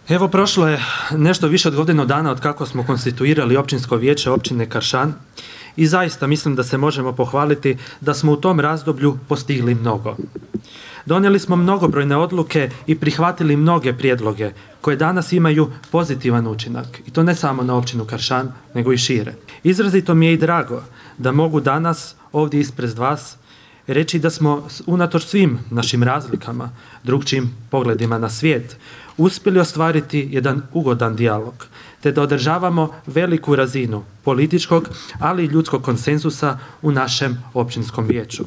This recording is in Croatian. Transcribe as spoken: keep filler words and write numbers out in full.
Evo, prošlo je nešto više od godinu dana od kako smo konstituirali općinsko vijeće općine Kršan i zaista mislim da se možemo pohvaliti da smo u tom razdoblju postigli mnogo. Donijeli smo mnogobrojne odluke i prihvatili mnoge prijedloge koje danas imaju pozitivan učinak i to ne samo na općinu Kršan nego i šire. Izrazito mi je i drago da mogu danas ovdje ispred vas reći da smo unatoč svim našim razlikama, drukčijim pogledima na svijet, uspjeli ostvariti jedan ugodan dijalog te da održavamo veliku razinu političkog ali i ljudskog konsenzusa u našem općinskom vijeću.